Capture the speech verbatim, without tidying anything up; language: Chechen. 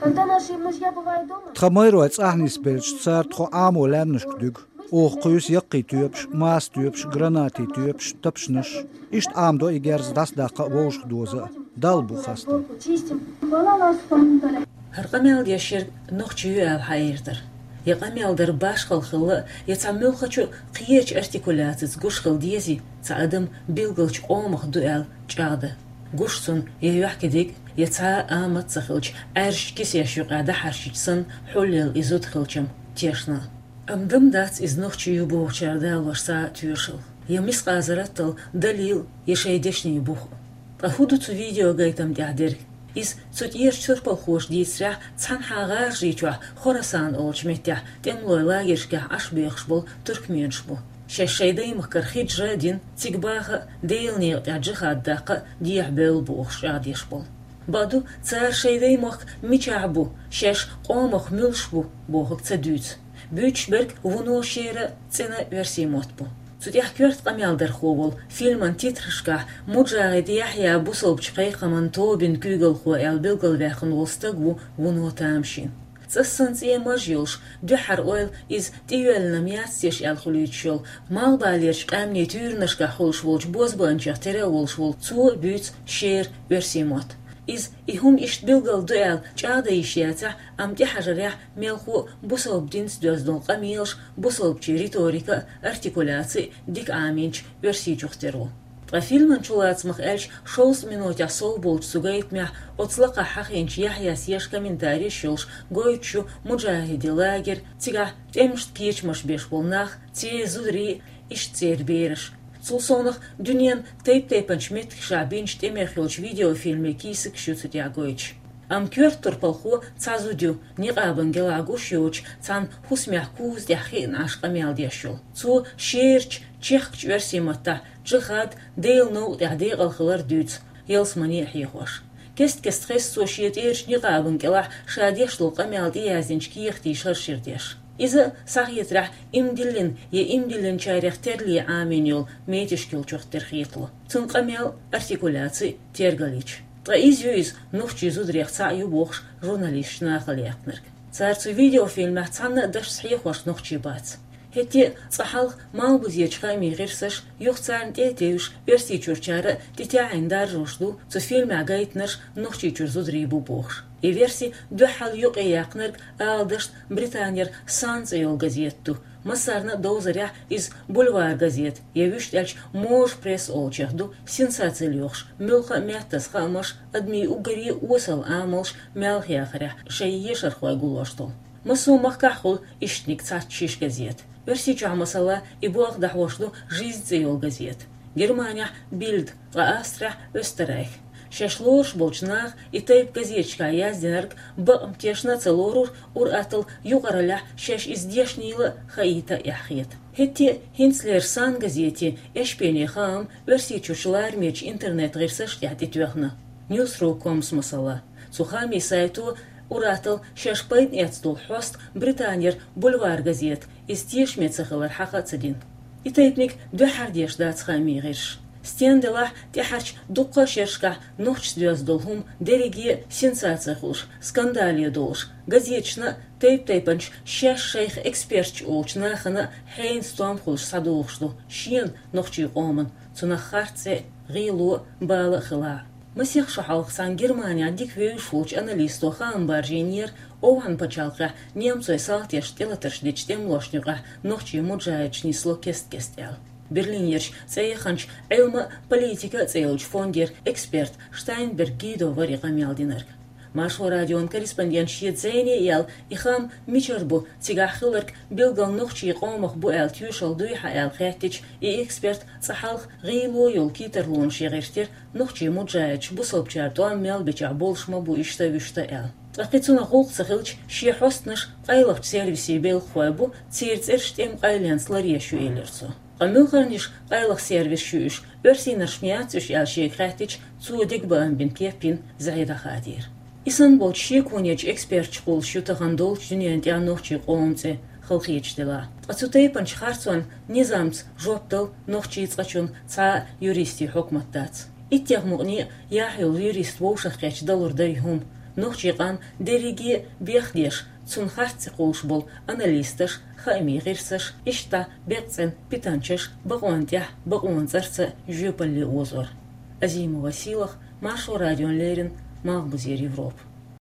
Когда наши мужья бывают дома, тхан майрой цӀахь нисбелча, цара тхо Ӏамо лаьмнашка дуьгу. Оха кхуьйсу яккхий тоьпаш, маса тоьпаш, гранатийн тоьпаш, тапчанаш. Иштта Ӏамадо и герз дӀасадаккха а, вовшах доза а. Далла бу хастам. ХӀара къамел деш ерг нохчи ю аьлла хьаийрдар. Я къамел дар башхалла хилла, я цхьа муьлххачу кхечу артикуляцица гуш хила дезий, цхьа адам билгалчу къомах ду аьлла чӀагӀдан. Гуш цунна я юьхькидиг, я цхьа а амат ца хилча, Ӏаьржачу кисеш юкъахь дӀахьаьрчича санна, хьулъелла и зуда хилчам тешна. Амма дан дац иза нохчи ю бохучара далош цхьа а тоьшалла, я мискъазарратал далил, я шайн дешнийн бух. Ткъа хӀун ду цу видеогайтам тӀехь дерг? Иза цу тӀерачу турпалхоша дийцарехь, цхьанхьа ГӀажарийчохь Хорасан олучу меттехь тӀемалойн лагершкахь Ӏаш бехаш болу туркменаш бу. Шаьш шайн даймахкара хьиджра а дина, цига баха а, Делан некъа тӀехь джихад даккха а дехьабевлла бохуш чӀагӀдеш болу. Бакъду, цара шайн даймохк мичахь бу, шаьш къомах муьлш бу бохург ца дуьйцу. Буьйцуш берг вуно шера а, цӀена а оьрсийн мотт бу. Цу тӀехь коьрта къамелдархо волу, фильман титрашкахь Муджахид Яхьъя бусалбачу кхайкхаман тобин куьйгалхо аьлла билгалваьккхина волу стаг ву вуно тамашийна. ЦӀассана цӀен маж йолуш, дуьххьара ойла иза тӀеоьллина-м яц-те аьлла хуьлуьйтуш йолу, малхбалерчу къаьмнийн туьйранашкахь хуьлуш волчу бозбуанчех тера а волуш волу цо буьйцу шера оьрсийн мотт. Иза и хӀума иштта билгал ду аьлла чӀагӀдан йиш яцахь, амма тӀехьажарехь мелхо а бусалба динца доьзна долу къамелаш, бусалбачийн риторика а, артикуляци а дика Ӏамийначу Оьрсийчух тера ву. Ткъа фильман чулацамах аьлча, шовзткъа минотехь сов болчу цу гайтамехь оцу лакхахь хьахийначу Яхьъяс еш комментареш йолуш гойтуш ю Муджахидийн лагерь, цигахь тӀемашна кечамаш беш болу нах, церан зударий, иштта церан бераш. Цул совнаха дуьненан тайп-тайпанчу меттигашкахь бинчу тӀемех йолчу видеофильмийн кийсакаш ю цу тӀехь гойтуш. Амма коьрта турпалхо цхьа зуда ю, никъабан кӀелахь гуш йоцуш, цхьана хӀусамехь куза тӀехь хиъна Ӏаш къамел деш йолу. Цо шерачу, чехкачу оьрсийн маттахь джихад, Делан новкъа тӀехь декъал хилар дуьйцу, ялсамане а хьехош. Кест-кеста хеза цо шен тӀерачу никъабан кӀелахь ша деш долу къамел тӀеяздинчу кехатийн шаршира деш. Иза, схьахетарехь, иман диллина я иман диллинчарех терле Ӏамийна йолу метишкилчух тера хетало. Цуьнан къамел, артикуляци тергал йича. Ткъа иза ю иза, нохчийн зударех цхьаъ ю бохуш, журналисташ нахала яьккхинарг. Цара цу видеофильмехь цхьанна а дашца хьехош нохчий бац. ХӀетте а, цкъа хьалха малхбузечу хаамийн гӀирсаша, юха царна тӀе а тевжаш, Оьрсийчуьрчара а тӀетаьӀӀина даржош ду цу фильмехь гайтинарш Нохчийчуьра зударий бу бохуш. И верси дуьххьал юкъаяьккхинарг, ала дашна, Британера Сан цӀе йолу газета ду, массарна а довзарехь иза бульвар газета, я вуьшта аьлча можа пресса олучех ду, сенсаци лоьхуш, муьлхха а меттаза хаамаш, адамийн уггаре а осал амалш маьлхаяхарехь шайн ешархой гуллош долу. Массо а махкахь хуьлу ишттаниг цхьацца шиша газета. Оьрсийчохь, масала, и болх дӀахьош ду Жизнь цӀе йолу газета. Германехь Бильд, ткъа Австрехь Оьстеррайх. Шаьш лоруш болчу наха и тайпа газеташкахь яздинарг бакъ-м тешна а ца лорура, ур-атталла юкъараллехь шаьш иза дешнийла а, хаийта а эхь хета. ХӀетте а хӀинцалера Сан газетан эшпене хаам Оьрсийчуьрчу ларамечу интернет-гӀирсаш тӀехь тӀетоьхна. Newsru ком, масала. Цу хаамийн сайто ур-атталла шаьш пайда эцна долу хьоста Британера бульвар газета, иза тешаме ца хилар хьаха а ца дина. И тайпаниг дуьххьара деш дац хаамийн гӀирсаша. Стенна делахь а, тӀаьхьарчу дуккха а шерашкахь нохчашца доьзна долу хӀума дерриге а сенсаци хуьлуш, скандале долуш, газеташна а, тайп-тайпанчу шаьш шайх эксперташ олучу нахана а хьенан стом хуьлуш схьадогӀуш ду шена, нохчийн къомана, цунах харц цӀе а, гӀийло а, бала а хилахь а. Масех шо хьалха цхьана Германехь дика вевзаш волчу аналисто хаам баржийнера, ОвхӀан пачхьалкхехь немцойн салташна тӀелатарш дечу тӀемалошна юкъахь нохчийн муджахидаш нисло кест-кеста аьлла. Берлинерчу цӀе яханчу «Ӏилма а, политика а» цӀе йолчу фондера эксперт Штайнберг Гидо вара и къамел динарг. Маршо радион корреспондента шен зӀене а яьлла, и хаам мичара бу, цигахь хилларг билггал нохчийн къомах бу аьлла тоьшалла дуй хьан аьлла хаьттича, и эксперт цкъа хьалха гӀийло йолу китарлонаш яхийтира, нохчийн муджахидаш бусалбачара тӀом мел бечохь болуш ма бу иштта-вуьшта аьлла. Ткъа кхин цунах гӀуллакх ца хилча, шен хьостанаш къайлахчу сервисийн белхахой бу, церан цӀераш тӀеман къайленца ларъеш ю, элира цо. Ткъа муьлхарниш къайлаха сервисаш ю уьш, оьрсийнарш-м яц уьш аьлла шега хаьттича, цо дегабаам бина кеп йина зӀе дӀахадийра. И санна болчу шеконечу эксперташа кхуллуш ю тахана долчу дуьненан тӀехь нохчийн къоман цӀе, халахеташ делахь. Ткъа цу тайпанчу харцонна низамца жоп дала нохчийн цкъачунна цхьа а юристийн хьукмат дац. Иттех мукъане а яхь йолу юрист вовшахкхетча далур дара и хӀума. Нохчийн къам дерриге бехк деш, цунна харц ца кхувш болу аналисташ, хаамийн гӀирсаш, иштта беккъа цӀена питанчаш бакъонна тӀехь бакъонан цӀарца жоьпалле озор. Азимова Сийлаха, Маршо радиона леррина, Малхбузера Европа.